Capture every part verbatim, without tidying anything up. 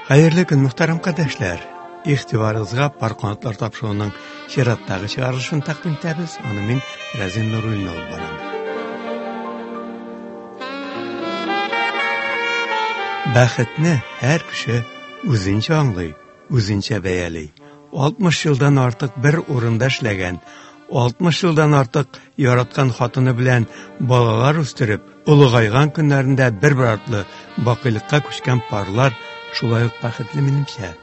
Хәерле көн, мөхтәрәм кардәшләр. Игътибарыгызга Пар канатлар тапшыруының чираттагы чыгарылышын тәкъдим итәбез. Аны мин Рәзин Нуруллин алып барам. Бәхетне һәр кеше үзенчә аңлый, үзенчә бәяли. алтмыш елдан артык бер урында эшләгән, алтмыш елдан артык яраткан хатыны белән балалар үстереп, олыгайган көннәрендә бер-бер артлы бакыйлыкка күчкән парлар шулай ук бәхетле минемчә.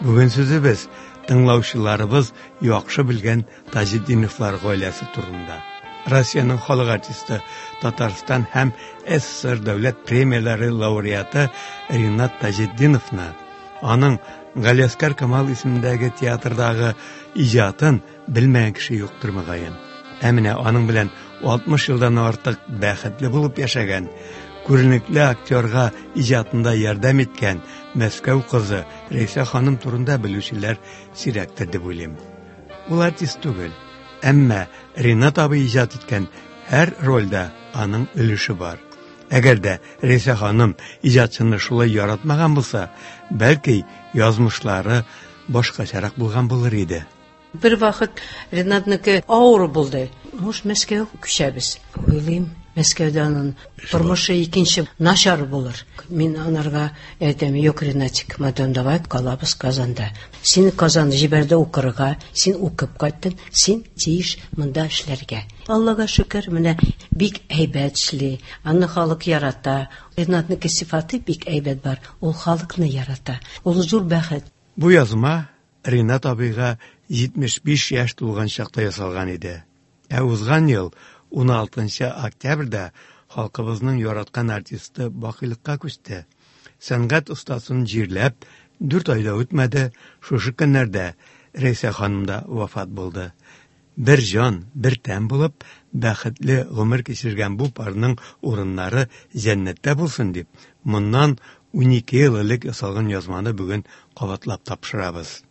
Бүген сүзебез тыңлаучыларыбыз яхшы белгән Таҗетдиновлар гаиләсе турында. Россиянең халык артисты, Татарстан һәм СССР дәүләт премияләре лауреаты Ринат Таҗетдиновны, аның Галиәсгар Камал исемендәге театрдагы иҗатын белмәгән кеше юктыр мөгаен. Ә менә аның белән алтмыш елдан артык бәхетле булып яшәгән, күренекле актерга иҗатында ярдәм иткән Мәскәү кызы Рәйсә ханым турында белүчеләр сирәктер дип уйлыйм. Ул артист түгел, әмма Ринат абый иҗат иткән һәр рольдә аның өлеше бар. Әгәр дә Рәйсә ханым иҗатчыны шулай яратмаган булса, бәлки язмышлары башкачарак булган булыр иде. Бер вакыт Ринатныкы авыр булды. Муж Мәскәүгә күчәбез. Уйлыйм, Мәскәүдә аның тормышы икенче начар булыр. Мин анарга әйтәм, юк, Ринатик, мадам, давай калабыз Казанда. Син Казан җибәрде укырга, син укып кайттың, син тиеш монда эшләргә. Аллага шөкер, менә бик әйбәт эшли, аны халык ярата. Ринатныкы сифаты бик әйбәт бар, ул халыкны ярата. Ул зур бәхет. Бу язма Ринат абыйга җитмеш биш яшь тулган чакта ясалган иде. Ә узган ел ун алтынчы октябрьдә халкыбызның яраткан артисты бакыйлыкка күчте. Сәнгать остасын җирләп, дүрт ай да үтмәде, шушы көннәрдә Рәйсә ханым да вафат булды. Бер җан, бер тән булып, бәхетле гомер кичергән бу парның урыннары җәннәттә булсын дип, моннан унике ел элек ясалган язманы бүген кабатлап тапшырабыз.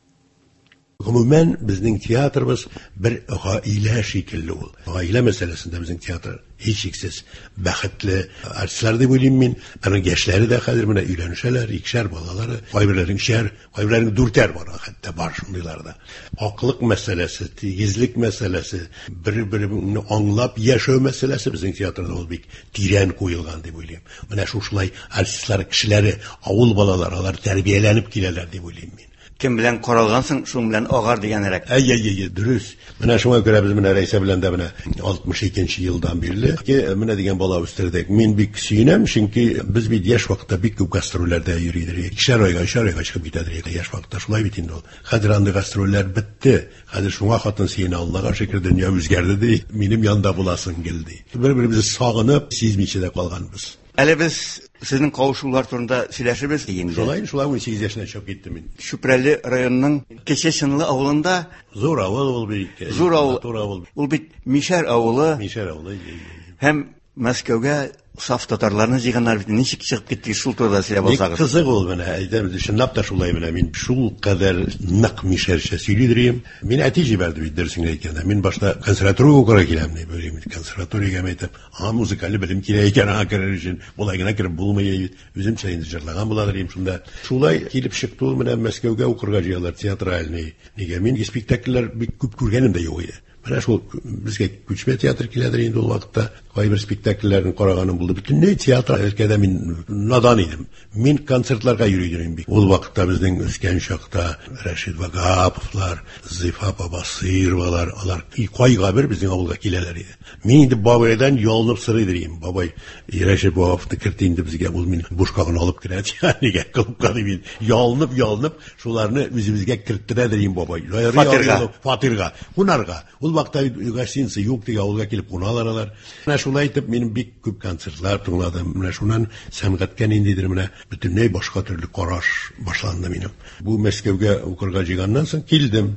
Гомумән, безнең театрыбыз бер гаилә шикелле ул. Гаилә мәсьәләсендә безнең театр һичшиксез бәхетле артистлар дип уйлыйм мин. Аның яшьләре дә хәзер менә өйләнешәләр, икешәр балалары, кайберләренең өчәр, кайберләренең дүртәр бар, хәтта бар шундыйлар да. Аклык мәсьәләсе, тигезлек мәсьәләсе, бер-береңне аңлап яшәү мәсьәләсе безнең театрда ул бик тирән куелган дип уйлыйм. Менә шушылай артистлар кешеләре, авыл балалары, алар тәрбияләнеп киләләр дип уйлыйм мин. Кем белән каралгансың, шуның белән агар дигәнрәк. Әй, әй, әй, дөрес. Менә шуңа күрә без менә Рәйсә белән дә менә алтмыш икенче елдан бирле менә дигән бала үстердек. Мин бик сөенәм, чөнки без бит яшь вакытта бик күп гастрольләрдә йөри идек. Икешәр айга, өчәр айга чыгып китә идек яшь вакытта. Шулай бит инде ул. Хәзер андый гастрольләр бетте. Хәзер шуңа хатын сөенә, Аллага шөкер, дөнья үзгәрде ди. Минем янда буласың гел ди. Бер-беребезне сагынып, сизмичә дә калганбыз. Әле без сезнең кавышулар турында сөйләшербез инде. Шулай, шулай ун сигез яшенә чыгып киттем мин. Чүпрәле районының Кече Чынлы авылында. Зур авыл ул бит. Зур авыл. Матур авыл. Ул бит Мишәр авылы. Мишәр авылы, әйе, әйе. Һәм Мәскәүгә саф татарларны җыйганнар бит. Ничек чыгып киттегез, шул турыда сөйләп Бик алсагыз. кызык ул менә, әйтәм, чынлап та шулай менә. Мин шул кадәр нык мишәрчә сөйлидер идем. Мин әти җибәрде бит, дөресен әйткәндә. Мин башта консерваториягә укырга киләм дип уйлыйм. Консерваториягә әйтәм, аңа музыкаль белем кирәк икән, аңа керер өчен. Болай гына кереп булмый бит. Үземчә инде җырлаган буладыр идем шунда. Шулай килеп чыкты ул, менә Мәскәүгә укырга җыялар, театральный. Нигә мин спектакльләр бик күп күргәнем дә юк иде. Менә шул безгә күчмә театр киләдер инде ул вакытта. Кайбер спектакльләрне караганым булды. Бөтенләй театр өлкәдә мин надан идем. Мин концертларга йөри идем бик. Ул вакытта безнең үскән чакта Рәшит Ваһаповлар, Зифа апа Басыйровалар, алар кайга бер безнең авылга киләләр иде. Мин инде бабайдан ялынып сорый идем. Бабай, Рәшит Ваһаповны керт инде безгә, ул мине бушка гына алып керә. Нигә клубка дип мин ялынып, ялынып шуларны үзебезгә керттерә идем бабай. Фатирга. Фатирга, кунарга. Ул вакытта гостиница юк дип авылга килеп куналар алар. Менә шулай итеп мин бик күп концертлар тыңладым. Менә шуннан сәнгатькә ниндидер менә бөтенләй башка төрле караш башланды минем. Бу Мәскәүгә укырга җыйганнан соң килдем.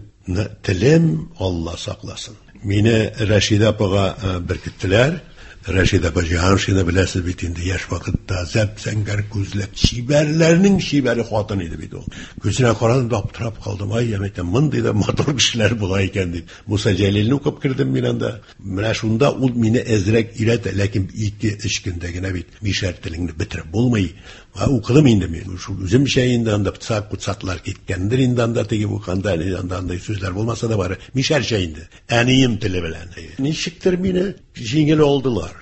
Телем Алла сакласын. Мине Рәшидә апага, э, беркеттеләр. Рәшидә апа Җиһаншина беләсез бит инде, яшь вакытта зәп-зәңгәр күзле, чибәрләрнең чибәре хатын иде бит ул. Күзенә карадым да аптырап калдым. Ай, я әйтәм, мондый да матур кешеләр була икән дип. Муса Җәлилне укып кердем мин анда. Менә шунда ул мине әзрәк өйрәтә, ләкин ике-өч көндә генә бит мишәр телеңне бетереп булмый. Укыдым инде мин. Шул үземчә инде анда пыцак кутсатлар киткәндер инде анда теге уканда анда андай сүзләр булмаса да бары мишәрчә инде. Әнием теле белән. Ничектер мине җиңел алдылар.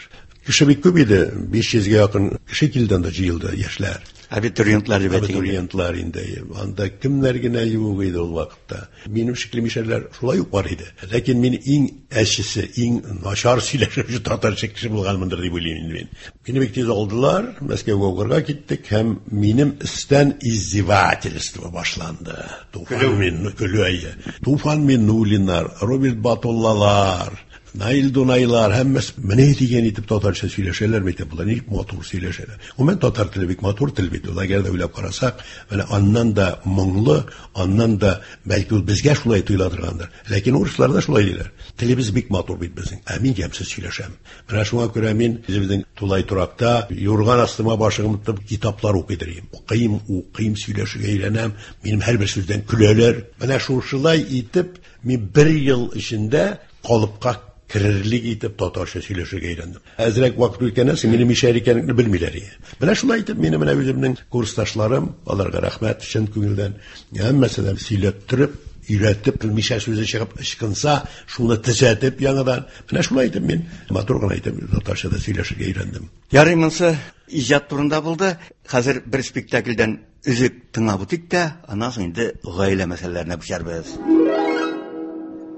Кеше бик күп иде, биш йөзгә якын кеше килде анда җыелды, яшьләр. Абитуриентлар дип әйтик. Абитуриентлар инде. Анда кемнәр генә юк иде ул вакытта. Минем шикле мишәрләр шулай ук бар иде. Ләкин мин иң әчесе, иң начар сөйләшүче татарча кеше булганмындыр дип уйлыйм инде мин. Мине бик тиз алдылар, Мәскәүгә укырга киттек һәм минем өстән издевательство башланды. Туфан мин, көлү әйе. Туфан Миннуллиннар, Роберт Батуллалар, Наил Дунайлар һәммәсе менә дигән итеп татарча сөйләшәләр бит, болар ничек матур сөйләшәләр. Гомумән татар теле бик матур тел бит. Ул әгәр дә уйлап карасак, менә аннан да моңлы, аннан да бәлки ул безгә шулай тоела торгандыр. Ләкин урыслар да шулай диләр. Телебез бик матур бит безнең. Ә мин ямьсез сөйләшәм. Менә шуңа күрә мин үзебезнең тулай торакта юрган астыма башымны тотып китаплар укый идем. Укыйм, укыйм, сөйләшергә өйрәнәм. Минем һәрбер сүздән көләләр. Менә шушылай итеп мин бер ел эчендә калыпка керерлек итеп татарча сөйләшергә өйрәндем. Әзрәк вакыт үткәннән соң минем мишәр икәнлекне белмиләр иде. Менә шулай итеп минем менә үземнең курсташларым, аларга рәхмәт чын күңелдән, һәммәсе дә сөйләттереп, өйрәтеп, мишәр сүзе чыгып ычкынса, шуны төзәтеп яңадан. Менә шулай итеп мин матур гына итеп татарча да сөйләшергә өйрәндем. Ярый, монысы иҗат турында булды. Хәзер бер спектакльдән өзек тыңлап үтик тә, аннан соң инде гаилә мәсьәләләренә күчәрбез.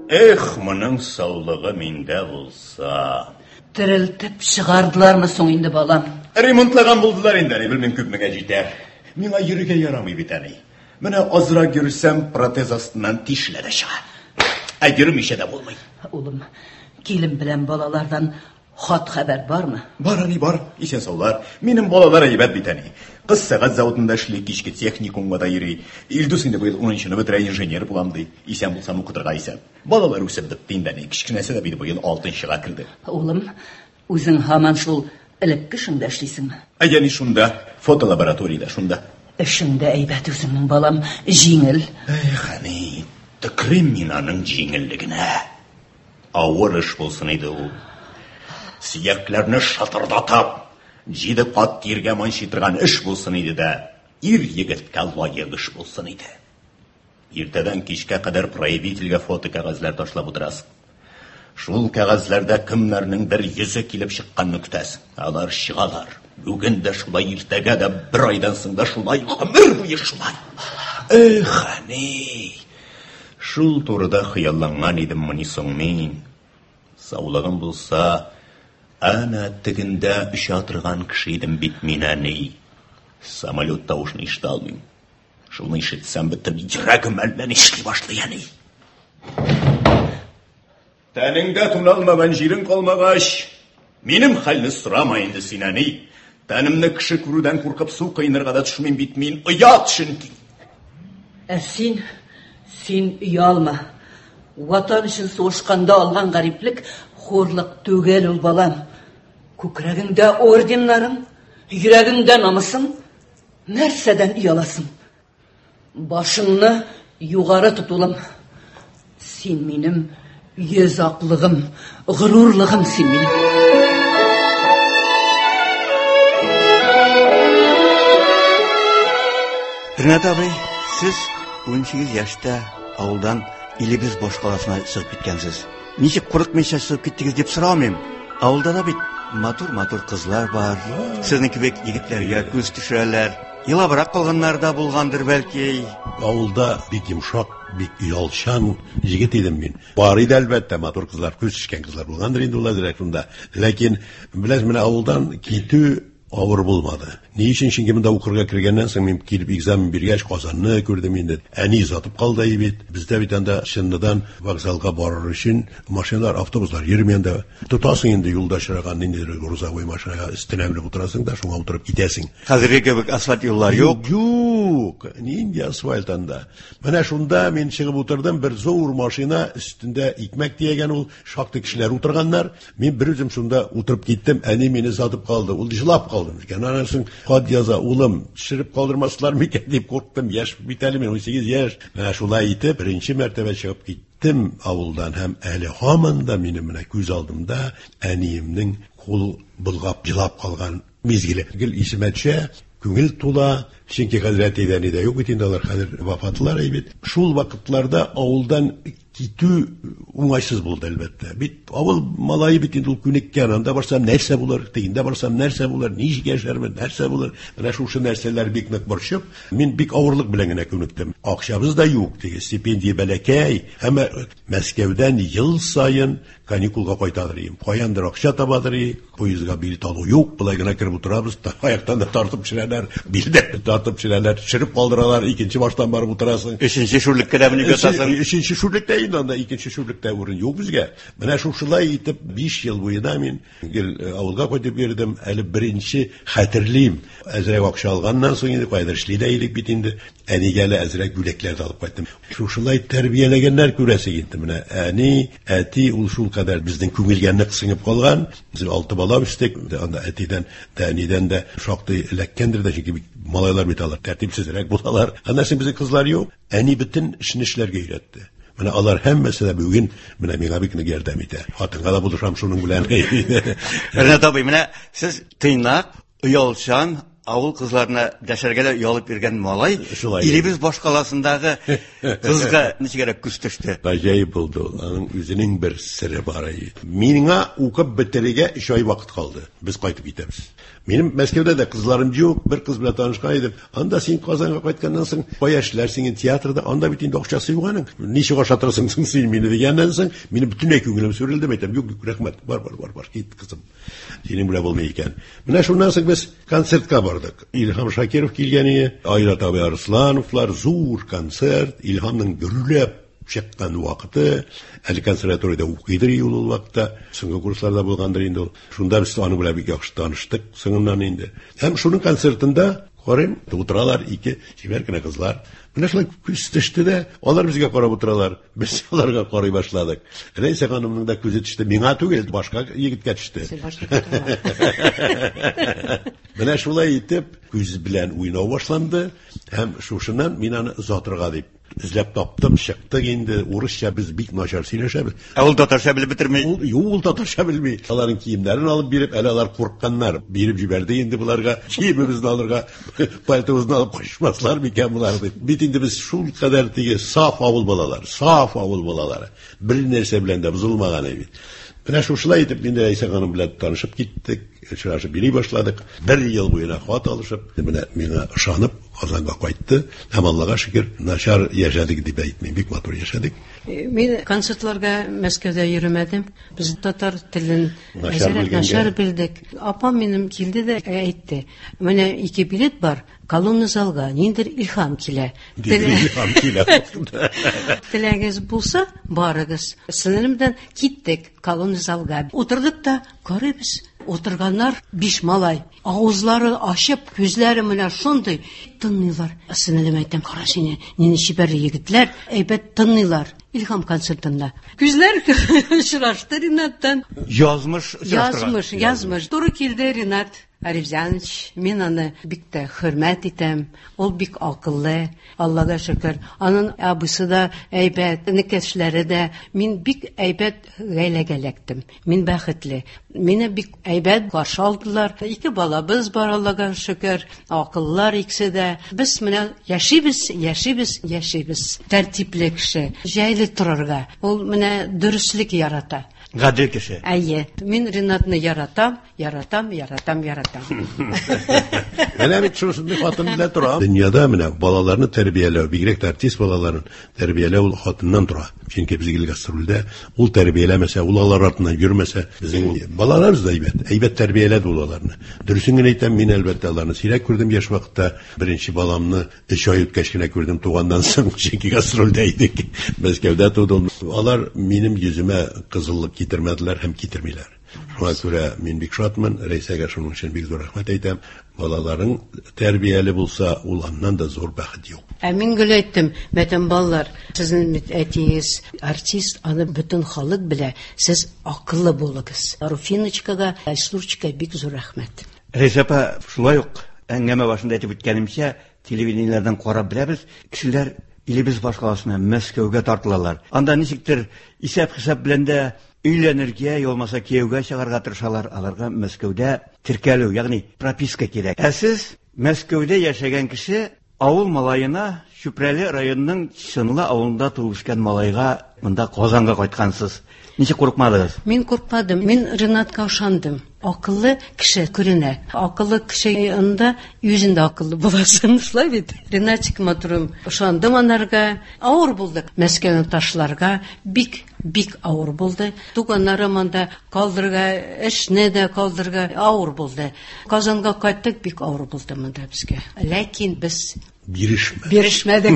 Эх, моның саулыгы миндә булса. Терелтеп чыгардылармы соң инде, балам? Ремонтлаган булдылар инде, әни, белмим күпмегә җитәр. Миңа йөрергә ярамый бит, әни. Менә азрак йөрсәм, протез астыннан тишелә дә чыга. Ә йөрмичә дә булмый. Улым, килен белән балалардан хат хәбәр бармы? Бар, әни, бар. Исән саулар. Минем балалар әйбәт бит, әни. Кыз сәгать заводында эшли, кичке техникумга да йөри. Илдус инде быел унынчыны бетерә, инженер булам ди. Исән булсам укытырга исәп. Балалар үсеп бетте инде, әни. Кечкенәсе дә бит быел алтынчыга керде. Улым, үзең һаман шул элекке эшеңдә эшлисеңме? Әй, әни, шунда, фотолабораториядә шунда. Эшең дә әйбәт үзеңнең, балам, җиңел. Эх, әни, төкрим мин аның җиңеллегенә. Авыр эш булсын иде ул. Сөякләрне шатырдатып, җиде кат тиргә манчый торган эш булсын иде дә, ир егеткә лаек эш булсын иде. Иртәдән кичкә кадәр проявительгә фото кәгазьләр ташлап утырасың. Шул кәгазьләрдә кемнәрнең бер йөзе килеп чыкканны көтәсең. Алар чыгалар. Бүген дә шулай, иртәгә дә, бер айдан соң да шулай, гомер буе шулай. Эх, әни, шул турыда хыялланган идем мени соң мин. Саулыгым булса, әнә тегендә оча торган кеше идем бит мин, әни. Самолет тавышын ишетә алмыйм. Шуны ишетсәм, бөтен йөрәгем әллә нишли башлый, әни. Тәнеңдә туналмаган җирең калмагач, минем хәлне сорама инде син, әни. Тәнемне кеше күрүдән куркып су коенырга да төшмим бит мин. Оят чөнки. Ә син, син оялма. Ватан өчен сугышканда алган гариплек хурлык түгел ул, балам. Күкрәгеңдә орденнарың, йөрәгеңдә намусың, нәрсәдән ояласың? Башыңны югары тот, улым. Син минем йөз аклыгым, горурлыгым син минем. Ринат абый, сез унсигез яшьтә авылдан илебез башкаласына чыгып киткәнсез. Ничек курыкмыйча чыгып киттегез дип сорамыйм. Авылда да бит матур-матур кызлар бар. Сезнең кебек егетләргә күз төшерәләр. Елабрак калганнар да булгандыр бәлки. Авылда бик йомшак, бик оялчан егет идем мин. Бар иде әлбәттә матур кызлар, күз төшкән кызлар булгандыр инде ул әзрәк шунда. Ләкин беләсез, менә авылдан китү авыр булмады. Ни өчен? Чөнки монда укырга кергәннән соң мин килеп экзамен биргәч Казанны күрдем инде. Әни озатып калды бит. Бездә бит анда Чынныдан вокзалга барыр өчен машиналар, автобуслар йөрми анда. Тотасың инде юлда очраган ниндидер грузовой машинага өстенә менеп утырасың да шуңа утырып китәсең. Хәзерге кебек асфальт юллар юк. Юк, нинди асфальт анда. Менә шунда мин чыгып утырдым, бер зур машина өстендә икмәк төягән ул, шактый кешеләр утырганнар. Мин бер үзем шунда утырып киттем, әни мине сатып калды. Ул җылап калды. Аннан соң хат яза, улым, төшереп калдырмаслар микән дип курктым. Яшь бит әле мин, унсигез яшь. Менә шулай итеп беренче мәртәбә чыгып киттем авылдан һәм әле һаман да минем менә күз алдымда әниемнең кул болгап җылап калган мизгеле. Гел исемә төшә. Күңел тула, чөнки хәзер әтидән дә юк бит инде, алар хәзер вафатлар бит. Шул вакытларда авылдан китү уңайсыз булды әлбәттә. Бит авыл малае бит инде ул күнеккән, анда барсам нәрсә булыр, тегендә барсам нәрсә булыр, ничек яшәрмен, нәрсә булыр. Менә шушы нәрсәләр бик нык борчып, мин бик авырлык белән генә күнектем. Акчабыз да юк, теге стипендия бәләкәй, әмма Мәскәүдән ел саен каникулга кайтадыр идем. Каяндыр акча табадыр идек, поездга билет алу юк, болай гына кереп утырабыз, аяктан да тартып төшерәләр, билдән тартып төшерәләр, төшереп калдыралар, икенче баштан барып утырасың. Өченче шүрлеккә дә менеп ятасың. Өченче шүрлектә инде анда, икенче шүрлектә урын юк безгә. Менә шушылай итеп биш ел буена мин гел авылга кайтып йөрдем. Әле беренче хәтерлим, әзрәк акча алганнан соң инде кайдыр эшли дә идек бит инде. Әнигә әле әзрәк бүләкләр дә алып кайттым. Шушылай тәрбияләгәннәр күрәсең инде. Менә әни, әти ул шул кадәр безнең күңелгә нык сеңеп калган. Без алты бала үстек. Анда әтидән дә, әнидән дә шактый эләккәндер дә, чөнки малайлар бит алар тәртипсезрәк булалар. Аннан соң безнең кызлар юк. Әни бөтен эшне эшләргә өйрәтте. Менә алар һәммәсе дә бүген менә миңа бик нык ярдәм итә. Хатынга да булышам шуның белән. Ринат абый, менә сез тыйнак, оялчан, авыл кызларына дәшәргә дә оялып йөргән малай, илебез башкаласындагы кызга ничегрәк күз төште? Гаҗәеп булды ул. Аның үзенең бер сере бар иде. Миңа укып бетерергә өч ай вакыт калды. Без кайтып китәбез. Минем Мәскәүдә дә кызларым юк, бер кыз белән танышкан идем. Анда син Казанга кайтканнан соң, кая эшләрсең инде театрда, анда бит инде акчасы юк аның. Ничек ашатырсың соң син мине дигәннән соң, минем бөтенләй күңелем сүрелде. Әйтәм, юк, юк, рәхмәт, бар, бар, бар, бар, кит кызым. Синең белән булмый икән. Менә шуннан соң без концертка бардык. Илһам Шакиров килгән иде, Айрат абый Арслановлар, зур концерт, Илһамның гөрләп чыккан вакыты, әле консерваториядә укыйдыр ул ул вакытта, соңгы курсларда булгандыр инде ул. Шунда без аның белән бик яхшы таныштык соңыннан инде. Һәм шуның концертында карыйм, утыралар ике чибәр кенә кызлар. Менә шулай күз төште дә, алар безгә карап утыралар. Без аларга карый башладык. Рәйсә ханымның да күзе төште, миңа түгел, башка егеткә төште. Менә шулай итеп күз белән уйнау башланды һәм шушыннан мин аны озатырга дип эзләп таптым, чыктык инде. Урысча без бик начар сөйләшәбез. Ә ул татарча белеп бетерми. Ул, юк, ул татарча белми. Аларның киемнәрен алып биреп, әле алар курыкканнар. Биреп җибәрде инде буларга, киемебезне алырга, пальтобызны алып качмаслар микән булар дип. Бит инде без шул кадәр теге саф авыл балалары, саф авыл балалары. Бер нәрсә белән дә бозылмаган бит. Менә шушылай итеп мин дә Рәйсә ханым белән танышып киттек, очрашып йөри башладык. Бер ел буена хат алышып, менә миңа ышанып Казанга кайтты. Һәм Аллага шөкер, начар яшәдек дип әйтмим, бик матур яшәдек. Мин концертларга Мәскәүдә йөрмәдем. Без татар телен әзрәк начар белдек. Апам минем килде дә әйтте. Менә ике билет бар, колонна залга, ниндер Илһам килә. Илһам килә. Теләгегез булса, барыгыз. Сеңлем белән киттек колонна залга. Утырдык та карыйбыз. Утырганнар биш малай. Авызлары ачып, күзләре менә шундый тынлыйлар. Сеңлем әйтәм, кара сине, нинди чибәр егетләр, әйбәт тынлыйлар. Илһам концертында. Күзләр очрашты Ринаттан. Язмыш очраштырган. Язмыш, язмыш. Туры килде Ринат Арифзянович. Мин аны бик тә хөрмәт итәм. Ул бик акыллы, Аллага шөкер. Аның абыйсы да әйбәт, энекәшләре дә. Мин бик әйбәт гаиләгә эләктем. Мин бәхетле. Мине бик әйбәт каршы алдылар. Ике балабыз бар, Аллага шөкер. Акыллар икесе дә. Без менә яшибез, яшибез, яшибез. Тәртипле кеше, җайлы торырга. Ул менә дөреслек ярата. Гадел кеше. Әйе. Мин Ринатны яратам, яратам, яратам, яратам. Менә бит шушындый хатын белән торам. Дөньяда менә балаларны тәрбияләү, бигрәк тә артист балаларын тәрбияләү ул хатыннан тора. Чөнки без гел гастрольдә, ул тәрбияләмәсә, ул алар артыннан йөрмәсә, безнең балаларыбыз да әйбәт, әйбәт тәрбияләде ул аларны. Дөресен генә әйтәм, мин әлбәттә аларны сирәк күрдем яшь вакытта. Беренче баламны өч ай үткәч кенә күрдем туганнан соң, чөнки гастрольдә идек. Мәскәүдә туды ул. Алар минем йөземә кызыллык китермәделәр һәм китермиләр. Шуңа күрә мин бик шатмын, Рәйсәгә шуның өчен бик зур рәхмәт әйтәм. Балаларың тәрбияле булса, ул аннан да зур бәхет юк. Ә мин гел әйттем, бөтен балалар, сезнең бит әтиегез артист, аны бөтен халык белә, сез акыллы булыгыз. Руфиночкага, Айсурчикага бик зур рәхмәт. Рәйсә апа, шулай ук әңгәмә башында әйтеп үткәнемчә, телевидениеләрдән карап беләбез, кешеләр илебез башкаласына, Мәскәүгә тартылалар. Анда ничектер исәп-хисап белән дә өйләнергә, я булмаса кияүгә чыгарга тырышалар. Аларга Мәскәүдә теркәлү, ягъни прописка кирәк. Ә сез Мәскәүдә яшәгән кеше авыл малаена, Чүпрәле районының Чынлы авылында туып үскән малайга монда Казанга кайткансыз. Ничек курыкмадыгыз? Мин курыкмадым. Мин Ренатка ышандым. Акыллы кеше күренә. Акыллы кеше янында үзең дә акыллы буласың, шулай бит? Ренатик матурым, ышандым анарга. Авыр булды. Мәскәүне ташларга бик, бик авыр булды. Туганнарым анда калдырга, эшне дә калдырга авыр булды. Казанга кайттык, бик авыр булды монда безгә. Ләкин без бирешмәдек. Бирешмәдек.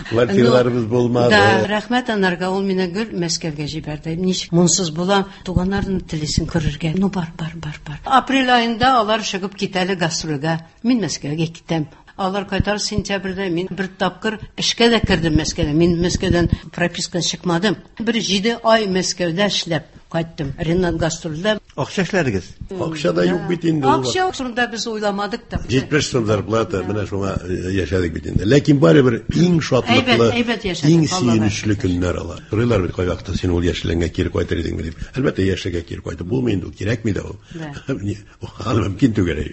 Квартираларыбыз булмады. Да, рәхмәт анарга, ул мине гел Мәскәүгә җибәрде. Ничек монсыз булам, туганнарны телисен күрергә. Ну, бар, бар, бар, бар. Апрель аенда алар чыгып китәле гастрольгә. Мин Мәскәүгә китәм. Алар кайтар сентябрьдә, мин бер тапкыр эшкә дә кердем Мәскәүдә. Мин Мәскәүдән пропискадан чыкмадым. Бер җиде ай Мәскәүдә эшләп кайттым. Ренат гастрольдә. Акча эшләдегез? Акча да юк бит инде. Акча турында без уйламадык та. җитмеш сум зарплата, менә шуңа яшәдек бит инде. Ләкин барыбер иң шатлыклы, иң сөенечле көннәр алар. Сорыйлар бит кайвакытта, син ул яшьлегеңә кире кайтыр идеңме дип. Әлбәттә, яшьлегә кире кайтып булмый инде, ул кирәкми дә ул. Аны мөмкин түгел.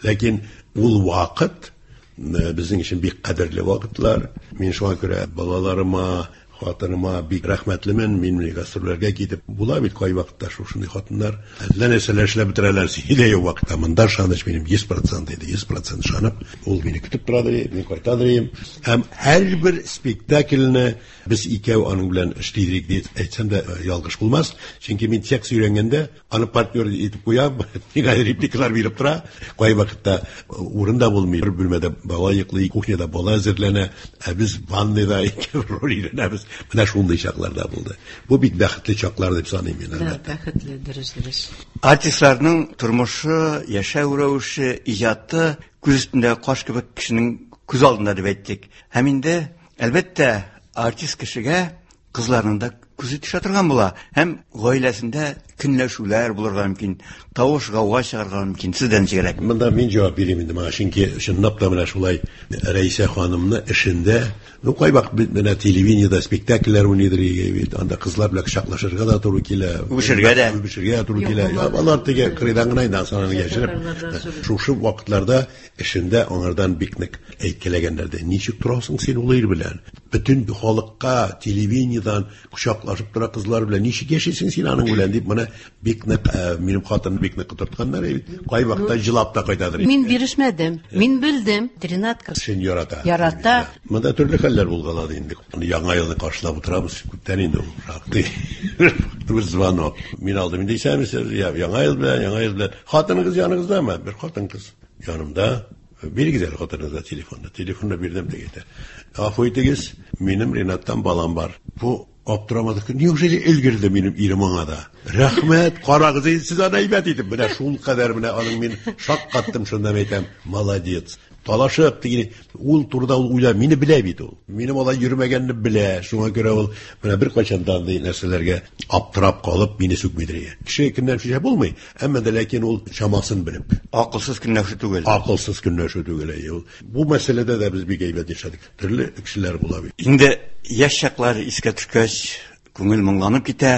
Ләкин ул вакыт безнең өчен бик кадерле вакытлар. Мин шуңа күрә балаларыма, хатыныма бик рәхмәтлемен. Мин гастрольләргә китеп була бит кайвакытта шушындый хатыннар әллә нәрсәләр эшләп бетерәләр. Синдә юк вакытта монда ышаныч минем йөз процент иде, йөз процент ышанып, ул мине көтеп тора иде, мин кайта идем. Һәм һәрбер спектакльне без икәү аның белән эшлидек дип әйтсәм дә ялгыш булмас. Чөнки мин текст өйрәнгәндә аны партнер итеп куям, миңа репликалар биреп тора. Кайвакытта урында булмый, бер бүлмәдә бала йоклый, кухняда бала әзерләнә, ә без ванныйда икәү роль өйрәнәбез. Менә шундый чакларда булды. Бу бик бәхетле чаклар дип саныйм мин. Да, бәхетле, дөрес, дөрес. Артистларның тормышы, яшәү рәвеше, иҗаты күз өстендә каш кебек кешенең күз алдында дип әйттек. Һәм инде, әлбәттә, артист кешегә кызларның да күзе төшә торган була. Һәм гаиләсендә көнләшүләр булырга мөмкин, тавыш гауга чыгарга мөмкин. Сездән ничегрәк? Монда мин җавап бирим инде моңа, чөнки чынлап та менә шулай Рәйсә ханымны эшендә, ну кайвакыт бит менә телевидениедә спектакльләр уйныйдыр бит, анда кызлар белән кочаклашырга да туры килә, үбешергә дә, үбешергә дә туры килә. Алар теге кырыйдан гына инде аны яшереп. Шушы вакытларда эшендә аңардан бик нык әйткәләгәннәр дә, ничек торасың син ул ир белән? Бөтен халыкка телевидениедән кочаклашып тора кызлар белән, ничек яшисең син аның белән дип, менә бик нык минем хатынны бик нык котыртканнар бит. Кайвакытта җылап та кайтадыр. Мин бирешмәдем. Мин белдем. Ренатка син ярата. Ярата. Монда төрле хәлләр булгалады инде. Яңа елны каршылап утырабыз, күптән инде ул шактый. Бер звонок. Мин алдым инде, исәнмесез, яңа ел белән, яңа ел белән. Хатыныгыз яныгыздамы? Бер хатын кыз янымда. Бирегез әле хатыныгызга телефонны. Телефонны бирдем дә китә. Гафу итегез, минем Ренаттан балам бар. Бу аптырамадык. Неужели өлгерде минем ирем аңа да? Рәхмәт, карагыз, сез аны әйбәт итеп. Менә шул кадәр менә аның мин шаккаттым, шунда әйтәм, молодец. Талашып дигән ул турыда ул уйла, мине белә бит ул. Минем алай йөрмәгәнне белә. Шуңа күрә ул менә бер кайчан да андый нәрсәләргә аптырап калып мине сүкмидер. Кеше кемнән фишә булмый, әмма дә ләкин ул чамасын белеп. Акылсыз көнләшү түгел. Акылсыз көнләшү түгел, әйе ул. Бу мәсьәләдә дә без бик әйбәт яшәдек. Төрле кешеләр була бит. Инде яшь чаклар искә төшкәч, күңел моңланып китә.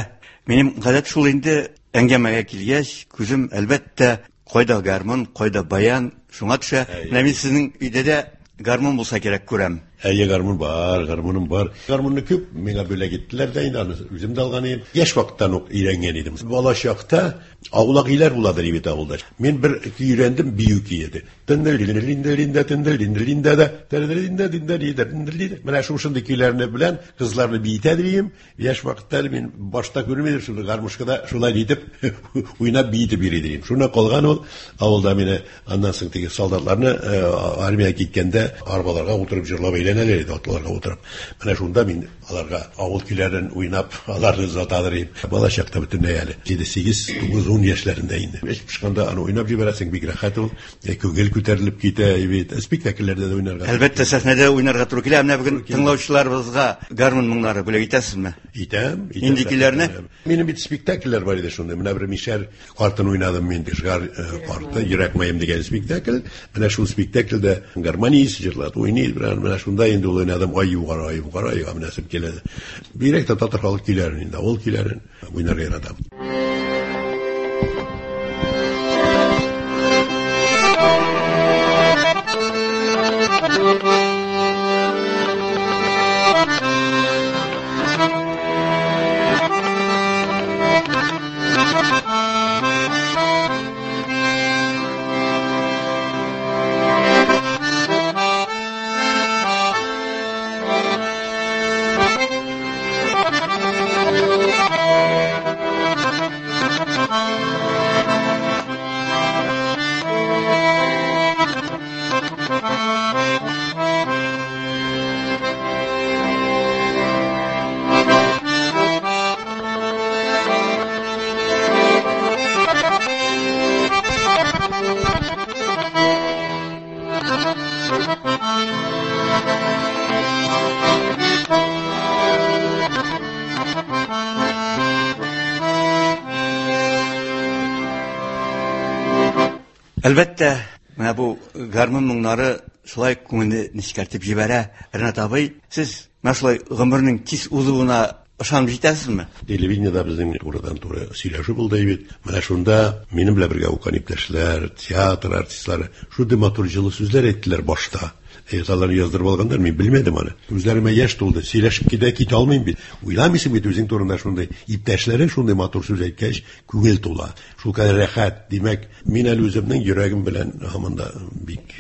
Минем гадәт шул инде, әңгәмәгә килгәч, күзем әлбәттә кайда гармун, кайда баян, шуңа төшә. Менә мин сезнең өйдә дә гармун булса кирәк күрәм. Әйе, гармун бар, гармуным бар. Гармунны күп миңа бүләк иттеләр дә инде, аны үзем дә алган идем. Яшь вакыттан ук өйрәнгән идем. Бала чакта аулак өйләр буладыр бит авылда. Мин бер көй өйрәндем, бию көе иде. Менә шушындый көйләрне белән кызларны биетә дим. Яшь вакытта мин башта күрмәдем, шул гармушкада шулай итеп уйнап биетеп йөри идем. Шуннан калган ул авылда мине аннан соң теге солдатларны армиягә киткәндә арбаларга утырып җырлап әйләнәләр иде, атларга утырып. Менә шунда мин аларга авыл көйләрен уйнап, аларны озатадыр идем. Бала чакта бөтенләй әле җиде, сигез, тугыз, ун яшьләрендә инде. Эш пешкәндә аны уйнап җибәрәсең, бик рәхәт ул. Күңел күтәрелеп китә бит. Спектакльләрдә дә уйнарга. Әлбәттә, сәхнәдә уйнарга туры килә. Менә бүген тыңлаучыларыбызга гармун моңнары бүләк итәсезме? Итәм, итәм. Нинди көйләрне? Минем бит спектакльләр бар иде шунда. Менә бер мишәр картын уйнадым мин, Кышгар карты, Йөрәк маем дигән спектакль. Менә шул спектакльдә гармонист җырлады, уйный. Менә шунда инде ул уйнадым. Ай югары, ай югары, айга менәсем килә. Бигрәк тә татар халык көйләрен инде, авыл көйләрен уйнарга яратам. Әлбәттә, менә бу гармун моңнары шулай күңелне нечкәртеп җибәрә. Ренат абый, сез менә шулай гомернең тиз узуына ышанып җитәсезме? Телевидениедә безнең турыдан-туры сөйләшү булды бит. Менә шунда минем белән бергә укыган иптәшләр, театр артистлары шундый матур җылы сүзләр әйттеләр башта. Аларны яздырып алганнар, мин белмәдем аны. Үзләремә яшь тулды, сөйләшеп китә китә алмыйм бит. Уйламыйсың бит үзең турында шундый иптәшләрең шундый матур сүз әйткәч, күңел тула. Шулкадәр рәхәт. Димәк, мин әле үземнең йөрәгем белән һаман да бик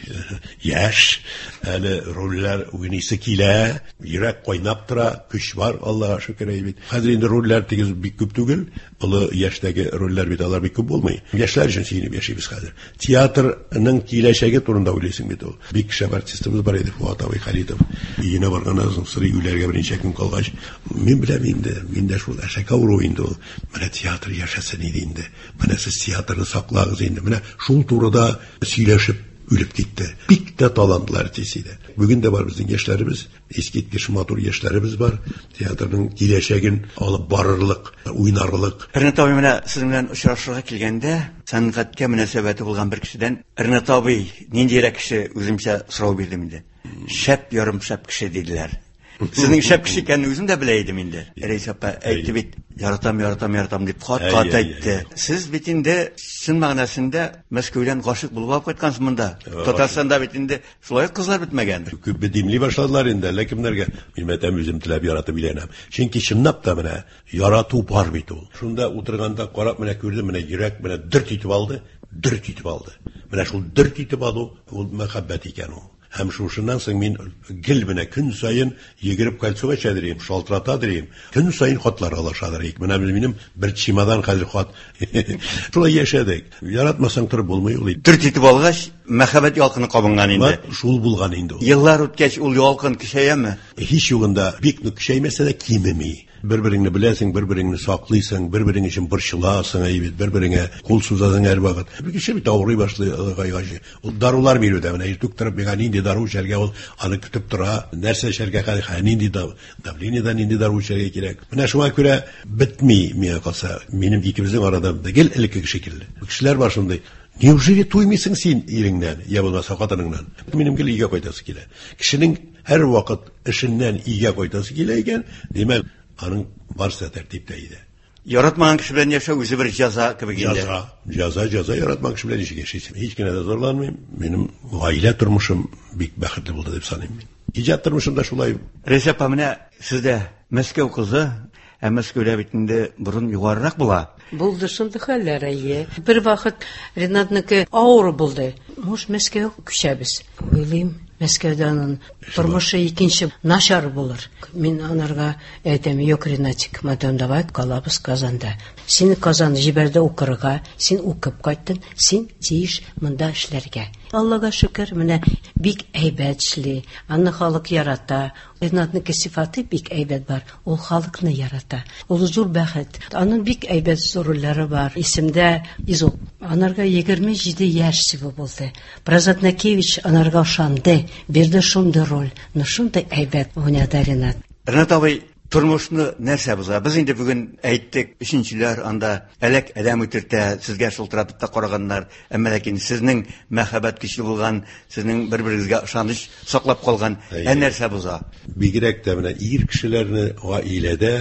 яшь, әле рольләр уйныйсы килә, йөрәк кайнап тора, көч бар, Аллага шөкер бит. Хәзер инде рольләр тигез бик күп түгел, олы яшьтәге рольләр бит алар бик күп булмый. Яшьләр өчен сөенеп яшибез хәзер. Театрның киләчәге турында уйлыйсың бит ул. Бик шәп артистыбыз бар иде, Фуат абый Халитов. Өенә барганнан соң сырый үләргә берничә көн калгач, мин беләм инде, мин дә шул әшәке авыру инде ул. Менә театр яшәсен иде инде. Менә сез театрны саклагыз инде. Менә шул турыда сөйләшеп үлеп китте. Бик тә талантлы артист иде. Бүген дә бар безнең яшьләребез, искиткеч матур яшьләребез бар. Театрның киләчәген алып барырлык, уйнарлык. Ренат абый, менә сезнең белән очрашырга килгәндә, сәнгатькә мөнәсәбәте булган бер кешедән Ренат абый ниндирәк кеше, үземчә сорау бирдем инде. Шәп ярым шәп кеше диделәр. Сезнең шәп кеше икәнне үзем дә белә идем инде. Рәис апа әйтте бит, яратам, яратам, яратам дип кат-кат әйтте. Сез бит инде чын мәгънәсендә Мәскәүдән гашыйк булып алып кайткансыз монда. Татарстанда бит инде шулай кызлар бетмәгән. Күп димли башладылар инде, әллә кемнәргә. Мин әйтәм, үзем теләп яратып өйләнәм. Чөнки чынлап та менә ярату бар бит ул. Шунда утырганда карап менә күрдем, менә йөрәк менә дөрт итеп алды, дөрт итеп алды. Менә шул дөрт итеп алу, ул мәхәббәт икән ул. Һәм шушыннан соң мин гел менә көн саен йөгереп кольцога чәдерим, шалтырата дирим, көн саен хатлар алышадыр. Менә минем бер чемодан хәзер хат. Шулай яшәдек. Яратмасаң торып булмый ул. Дөрт итеп алгач, мәхәббәт ялкыны кабынган инде. Шул булган инде ул. Еллар үткәч, ул ялкын көчәяме? Һич югында бик нык көчәймәсә дә кимеми. Бер-береңне беләсең, бер-береңне саклыйсың, бер-берең өчен борчыласың, әйбит, бер-береңә кул сузасың һәрвакыт. Бер кеше бит авырый башлый гайгачы. Ул дарулар бирү дә, менә иртүк торып миңа нинди дару эчәргә, ул аны көтеп тора, нәрсә эчәргә, хәзер нинди давлениедән нинди дару эчәргә кирәк. Менә шуңа күрә бетми миңа калса, минем икебезнең арада гел элеккеге шикелле. Кешеләр бар шундый. Неужели туймыйсың син иреңнән, я булмаса хатыныңнан? Минем гел өйгә кайтасы килә. Кешенең һәр вакыт эшеннән өйгә кайтасы килә икән, димәк, аның барысы тәртиптә иде. Яратмаган кеше белән яшәү үзе бер җәза кебек инде. Җәза, җәза, җәза, яратмаган кеше белән ничек яшисең? Һич кенә дә зарланмыйм. Минем гаилә тормышым бик бәхетле булды дип саныйм мин. Иҗат тормышым да шулай. Рәйсә апа, менә сездә Мәскәү кызы, ә Мәскәүдә бит инде борын югарырак була. Булды шундый хәлләр, әйе. Бер вакыт Ренатныкы авыр булды. Муж Мәскәүгә күчәбез. Уйлыйм, Мәскәүдә аның тормышы икенче начар булыр. Мин анарга әйтәм, юк, Ренатик, мадам, давай калабыз Казанда. Син Казан җибәрде укырга, син укып кайттың, син тиеш монда эшләргә. Аллага шөкер, менә бик әйбәт эшли. Аны халык ярата. Ренатныкы сифаты бик әйбәт бар. Ул халыкны ярата. Ул зур бәхет. Аның бик әйбәт рольләре бар. Исемдә Изоп. Анарга егерме җиде яшь всего булды. Празат Накевич анарга ышанды, бирде шундый роль. Но шундый әйбәт уйнады Ренат. Ренат абый, тормышны нәрсә боза? Без инде бүген әйттек, өченчеләр анда әләк адәм үтертә, сезгә шылтыратып та караганнар. Әмма ләкин сезнең мәхәббәт көчле булган, сезнең бер-берегезгә ышаныч саклап калган, ә нәрсә боза? Бигрәк тә менә ир кешеләрне гаиләдә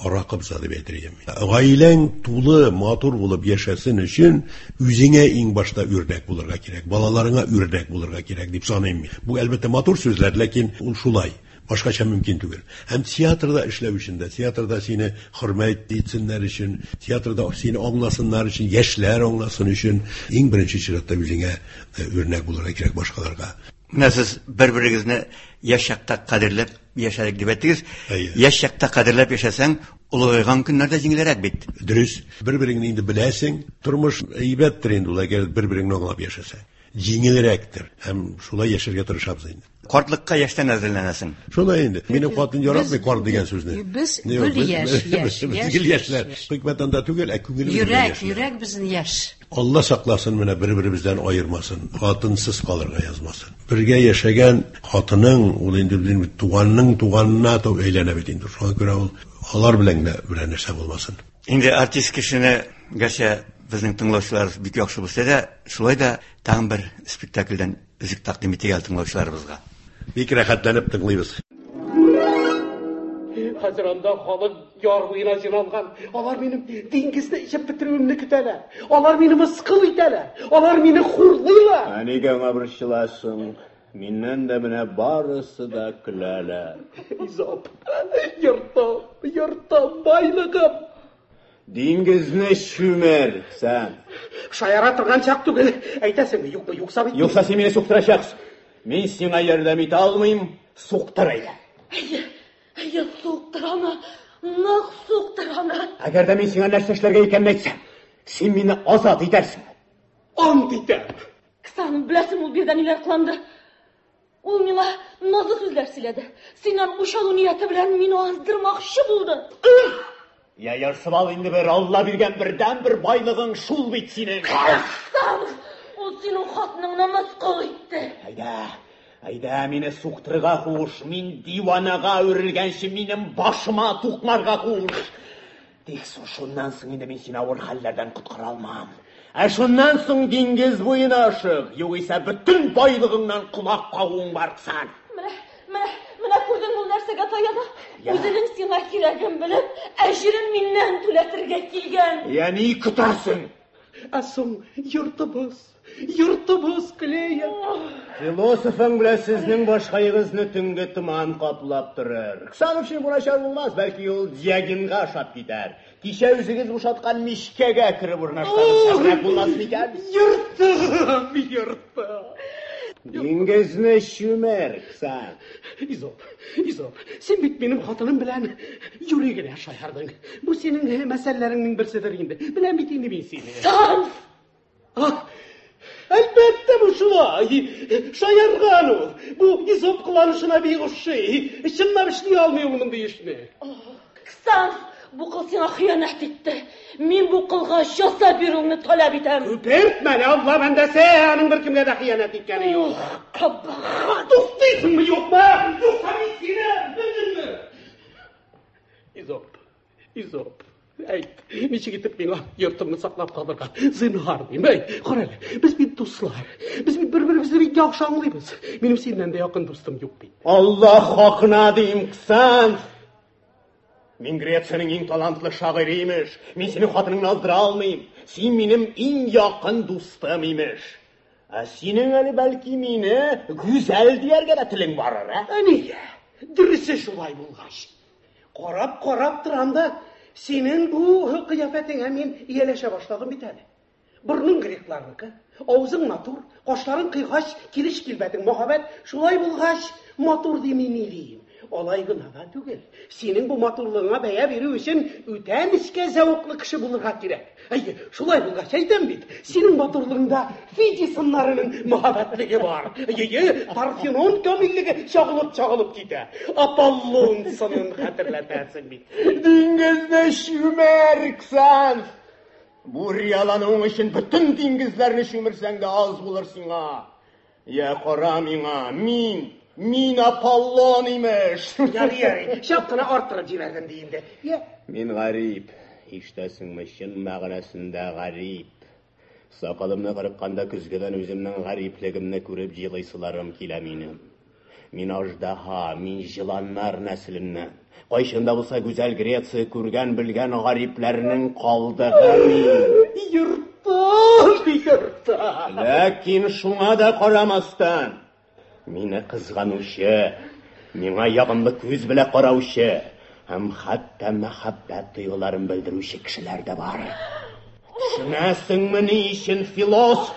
аракы боза дип әйтер идем. Гаиләң тулы, матур булып яшәсен өчен үзеңә иң башта үрнәк булырга кирәк, балаларыңа үрнәк булырга кирәк дип саныйм мин. Бу әлбәттә матур сүзләр, ләкин ул шулай. Башкача мөмкин түгел. Һәм театрда эшләү өчен дә, театрда сине хөрмәт итсеннәр өчен, театрда сине аңласыннар өчен, яшьләр аңласын өчен иң беренче чиратта үзеңә үрнәк булырга кирәк башкаларга. Менә сез бер-берегезне яшь чакта кадерләп яшәдек дип әйттегез. Яшь чакта кадерләп яшәсәң, олыгайган көннәрдә җиңелрәк бит. Дөрес. Бер-береңне инде беләсең, тормыш әйбәттер инде ул, әгәр бер-береңне аңлап яшәсәң. Җиңелрәктер. Һәм шулай яшәргә тырышабыз инде. Картлыкка яшьтән әзерләнәсең. Шулай инде. Минем хатын яратмый карт дигән сүзне. Без гел яшь, яшь, яшь. Гел яшьләр. Хикмәт анда түгел, ә күңелебез яшь. Йөрәк, йөрәк безнең яшь. Алла сакласын, менә бер-беребездән аермасын, хатынсыз калырга язмасын. Бергә яшәгән хатының, ул инде безнең туганның туганына әйләнә бит инде. Шуңа күрә ул алар белән генә берәр нәрсә булмасын. Инде артист кешене, гәрчә Безнең тыңлаучыларыбыз бик яхшы булса да, шулай да тагын бер спектакльдән өзек тәкъдим итик әле тыңлаучыларыбызга. Бик рәхәтләнеп тыңлыйбыз. Хәзер анда халык яр буена җыйналган. Алар минем диңгезне эчеп бетерүемне көтәләр. Алар мине мыскыл итәләр. Алар мине хурлыйлар. Ә нигә аңа борчыласың? Миннән дә менә барысы да көләләр. Изоп, йортым, йортым, байлыгым. Диңгезне чүмер, сән. Шаяра торган чак түгел. Әйтәсеңме, юкмы, юкса бит. Юкса син мине суктырачаксың. Мин сиңа ярдәм итә алмыйм, суктыр әйдә. Әйе, әйе, суктыр аны, нык суктыр аны. Әгәр дә мин сиңа нәрсә эшләргә икәнен әйтсәм, син мине азат итәрсең. Ант итәм. Ксан, беләсең, ул биредә ниләр кыланды? Ул миңа назлы сүзләр сөйләде. Синнән үч алу нияте белән мине аздырмакчы булды. Я ярсып ал инде бер, Алла биргән бердәнбер байлыгың шул бит синең. Ксан, ул синең хатыныңны мыскыл итте. Әйдә, әйдә, мине суктырырга куш. Мин диванага әверелгәнче минем башыма тукмарга куш. Тик шуннан соң инде мин сине авыр хәлләрдән коткара алмам. Ә шуннан соң диңгез буена ашык, югыйсә бөтен байлыгыңнан колак кагуың бар, Ксан. Менә, менә, менә күрдең ул нәрсәгә таяна. Үзенең сиңа кирәген белеп, әҗерен миннән түләтергә килгән. Я ни көтәсең? Ә соң йортыбыз, йортыбыз, Клея. Философың белән сезнең башкаегызны төнге томан каплап торыр. Ксанов өчен бу начар булмас, бәлки ул Диогенга ошап китәр. Кичә үзегез бушаткан мичкәгә кереп урнашсагыз, шәбрәк булмас микән? Йортым, йортым. Диңгезне чүмер, Ксан. Изоп, Изоп, син бит минем хатыным белән юри генә шаярдың. Бу синең мәсьәләләреңнең берседер инде. Беләм бит инде мин сине. Ксан! Ах, әлбәттә бу шулай. Шаярган ул. Бу Изоп кыланышына бик ошый. Чынлап эшли алмый ул мондый эшне. Ксан, бу кыл сиңа хыянәт итте. Мин бу кылга җәза бирүеңне таләп итәм. Күпертмә әле, Алла бәндәсе, аның беркемгә дә хыянәт иткәне юк. Кабахат! Туктыйсыңмы, юкмы? Юкса мин сине белдеңме? Изоп, Изоп, әйт, ничек итеп миңа йортымны саклап калырга? Зинһар дим, әйт, кара әле, без бит дуслар, без бит бер-беребезне бик яхшы аңлыйбыз. Минем синнән дә якын дустым юк бит. Алла хакына дим, Ксан. Мин Грециянең иң талантлы шагыйре имеш. Мин синең хатыныңны аздыра алмыйм. Син минем иң якын дустым имеш. Ә синең әле бәлки мине гүзәл дияргә дә телең барыр, ә? Ә нигә? Дөресе шулай булгач. Карап-карап торам да, синең бу кыяфәтеңә мин ияләшә башладым бит әле. Борның грекларныкы, авызың матур, кашларың кыйгач, килеш килбәтең мәһабәт. Шулай булгач, матур дими ни дим. Алай гына да түгел. Синең бу матурлыгыңа бәя бирү өчен үтә нечкә зәвыклы кеше булырга кирәк. Әйе, шулай булгач әйтәм бит, синең матурлыгыңда Фидий сыннарының мәһабәтлеге бар. Әйе, Парфенон камиллеге чагылып-чагылып китә. Аполлон сынын хәтерләтәсең бит. Диңгезне чүмер, Ксан. Бу риялануың өчен бөтен диңгезләрне чүмерсәң дә аз булыр сиңа. Я кара миңа, мин Мин Аполлон имеш. Ярый, ярый, чак кына арттырып җибәрдем ди инде. Я. Мин гарип, ишетәсеңме, чын мәгънәсендә гарип. Сакалымны кырыкканда көзгедән үземнең гариплегемне күреп җылыйсыларым килә минем. Мин аждаһа, мин җыланнар нәселеннән. Кайчан да булса гүзәл Греция күргән белгән гарипләрнең калдыгы мин. Йортым, йортым. Ләкин шуңа да карамастан, мине кызганучы, миңа ягымлы күз белән караучы һәм хәтта мәхәббәт тойгыларын белдерүче кешеләр дә бар. Төшенәсеңме ни өчен, философ?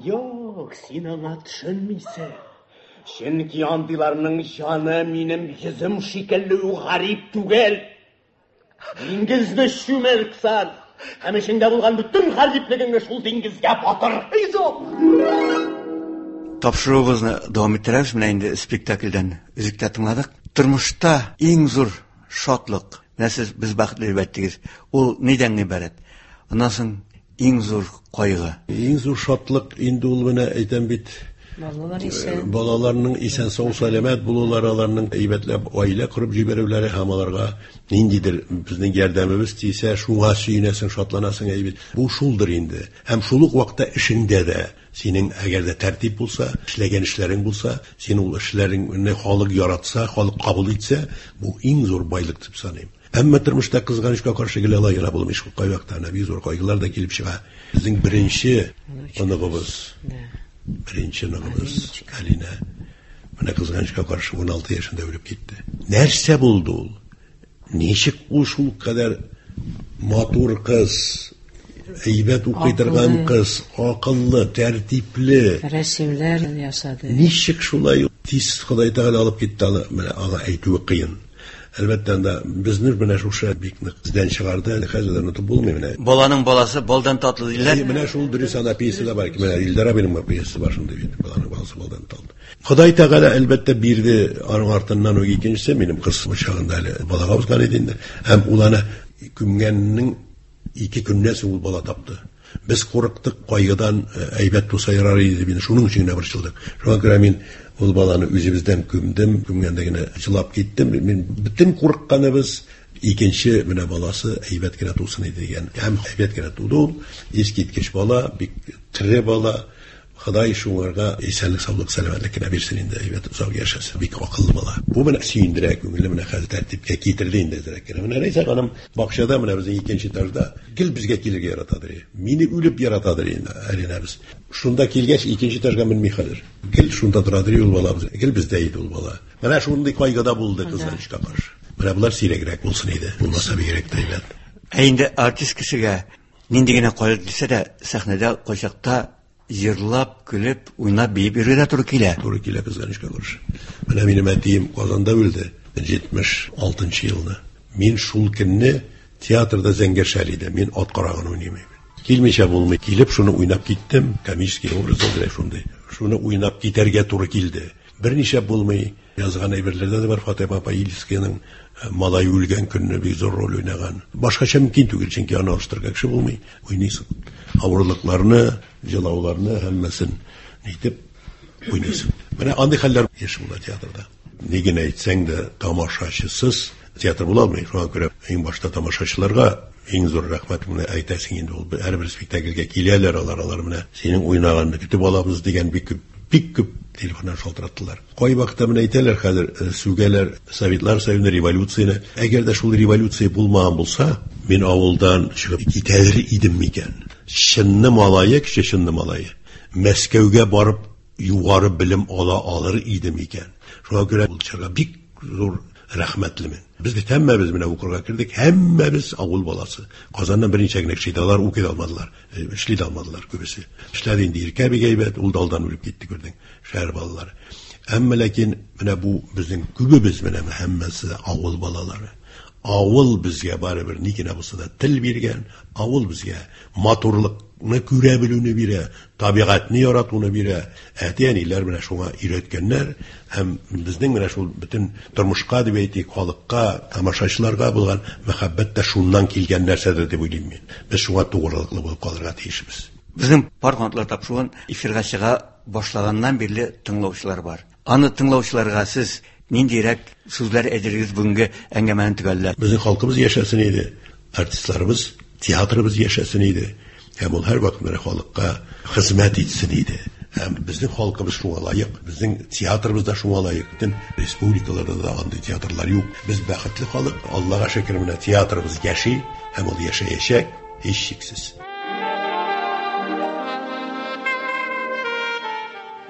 Юк, син аңа төшенмисең. Чөнки андыйларның җаны минем йөзем шикелле үк гарип түгел. Диңгезне чүмер, Ксан. Һәм эчеңдә булган бөтен гариплегеңне шул диңгезгә батыр. Изоп! Тапшыруыбызны дәвам иттерәбез. Менә инде спектакльдән өзек тә тыңладык. Тормышта иң зур шатлык, менә сез без бәхетле дип әйттегез, ул нидән гыйбарәт? Аннан соң иң зур кайгы. Иң зур шатлык инде ул менә әйтәм бит, Балалар исән. Балаларның исән сау сәламәт булулары, аларның әйбәтләп гаилә корып җибәрүләре һәм аларга ниндидер безнең ярдәмебез тисә, шуңа сөенәсең, шатланасың әйбәт. Бу шулдыр инде. Һәм шул ук вакытта эшеңдә дә синең әгәр дә тәртип булса, эшләгән эшләрең булса, син ул эшләреңне халык яратса, халык кабул итсә, бу иң зур байлык дип саныйм. Әмма тормышта кызганычка каршы гел алай гына булмый, шул кайвакытта әнә бик зур кайгылар да килеп чыга. Безнең беренче оныгыбыз, беренче оныгыбыз Алина, менә кызганычка каршы ун алты яшендә үлеп китте. Нәрсә булды ул? Ничек ул шул кадәр матур кыз, әйбәт укый торган кыз, акыллы, тәртипле, рәсемләр ясады. Ничек шулай тиз Ходай Тәгалә алып китте аны, менә аңа әйтүе кыен. Әлбәттә, анда безне менә шушы бик нык эздән чыгарды, әле хәзер дә онытып булмый менә. Баланың баласы балдан татлы диләр. Әйе, менә шул дөрес ана пьеса да бар. Менә Илдар абыйның пьесасы бар шундый бит. Баланың баласы балдан татлы. Ходай Тәгалә әлбәттә бирде, аның артыннан ук икенчесе минем кыз чагында әле балага узган иде инде. Һәм ул аны күмгәннең ике көннән соң ул бала тапты. Без курыктык, кайгыдан әйбәт туса ярар иде дип, шуның өчен генә борчылдык. Шуңа күрә мин ул баланы үзебездән күмдем, күмгәндә генә җылап киттем. Мин бөтен курыкканыбыз икенче менә баласы әйбәт кенә тусын иде дигән. Һәм әйбәт кенә туды ул. Искиткеч бала, бик тере бала. Ходай шуңарга исәнлек, саулык, сәламәтлек кенә бирсен инде, әйбәт озак яшәсен. Бик акыллы бала. Бу менә сөендерә күңелне, менә хәзер тәртипкә китерде инде әзрәк кенә. Менә Рәйсә ханым бакчада, менә безнең икенче этажда гел безгә килергә яратадыр. Мине үлеп яратадыр инде Алинабыз. Шунда килгәч икенче этажга менми хәзер. Гел шунда торадыр ул балабыз. Гел бездә иде ул бала. Менә шундый кайгыда булды кызганычка каршы. Менә булар сирәгрәк булсын иде. Булмаса бигрәк тә әйбәт. Ә инде артист кешегә нинди генә кайгы килсә дә, сәхнәдә кайчакта җырлап, көлеп, уйнап, биеп йөрергә туры килә. Туры килә кызганычка каршы. Менә минем әтием Казанда үлде җитмеш алтынчы елны. Мин шул көнне театрда Зәңгәр шәл иде. Мин ат карагын уйныйм. Килмичә булмый. Килеп шуны уйнап киттем. Комический образ да шундый. Шуны уйнап китәргә туры килде. Берничә булмый. Язган әйберләрдә дә бар. Фатыйма апа Илскаяның малай үлгән көнне бик зур роль уйнаган. Башкача мөмкин түгел, чөнки аны алыштырырга кеше булмый. Уйныйсың. Авырлыкларны, җылауларны һәммәсен әйтеп уйныйсың. Менә андый хәлләр еш була театрда. Ни генә әйтсәң дә, тамашачысыз театр була алмый. Шуңа күрә иң башта тамашачыларга иң зур рәхмәтеңне әйтәсең инде. Ул һәрбер спектакльгә киләләр алар, алар менә синең уйнаганны көтеп алабыз дигән бик күп, бик күп телефоннан шалтыраттылар. Кай вакытта менә әйтәләр хәзер, сүгәләр Советлар Союзы революцияне. Әгәр дә шул революция булмаган булса, мин авылдан чыгып китәр идем микән? Чынны малае, кеше чынны малае. Мәскәүгә барып югары белем ала алыр идем икән? Шуңа күрә ул чорга бик зур рәхмәтлемен. Без бит һәммәбез менә укырга кердек, һәммәбез авыл баласы. Казаннан берничә генә кеше иде, алар укый да алмадылар, эшли дә алмадылар күбесе. Эшләде инде Иркә бик әйбәт, ул да алдан үлеп китте, күрдең, шәһәр балалары. Әмма ләкин менә бу безнең күбебез менә һәммәсе авыл балалары. Авыл безгә барыбер ни генә булса да тел биргән, авыл безгә матурлыкны күрә белүне бирә, табигатьне яратуны бирә. Әти-әниләр менә шуңа өйрәткәннәр һәм безнең менә шул бөтен тормышка дип әйтик, халыкка, тамашачыларга булган мәхәббәт тә шуннан килгән нәрсәдер дип уйлыйм мин. Без шуңа тугрылыклы булып калырга тиешбез. Безнең Пар канатлар тапшыруын эфирга чыга башлаганнан бирле тыңлаучылар бар. Аны тыңлаучыларга сез ниндирәк сүзләр әйтерегез бүгенге әңгәмәне төгәлләп? Безнең халкыбыз яшәсен иде, артистларыбыз, театрыбыз яшәсен иде. Һәм ул һәрвакыт менә халыкка хезмәт итсен иде. Һәм безнең халкыбыз шуңа лаек, безнең театрыбыз да шуңа лаек. Бөтен республикаларда да андый театрлар юк. Без бәхетле халык, Аллага шөкер, менә театрыбыз яши һәм ул яшәячәк һичшиксез.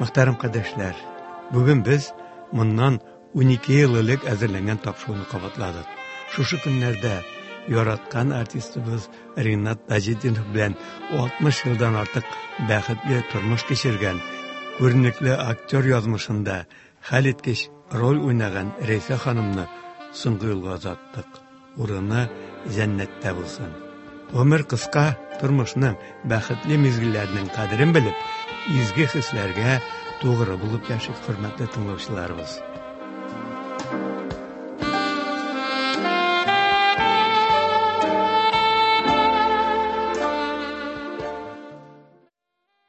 Мөхтәрәм кардәшләр, бүген без моннан унике ел элек әзерләнгән тапшыруны кабатладык. Шушы көннәрдә яраткан артистыбыз Ринат Таҗетдинов белән алтмыш елдан артык бәхетле тормыш кичергән, күренекле актер язмышында хәлиткеч роль уйнаган Рәйсә ханымны соңгы юлга озаттык. Урыны җәннәттә булсын. Гомер кыска, тормышның бәхетле мизгелләренең кадерен белеп, изге хисләргә тугры булып яшик, хөрмәтле тыңлаучыларыбыз.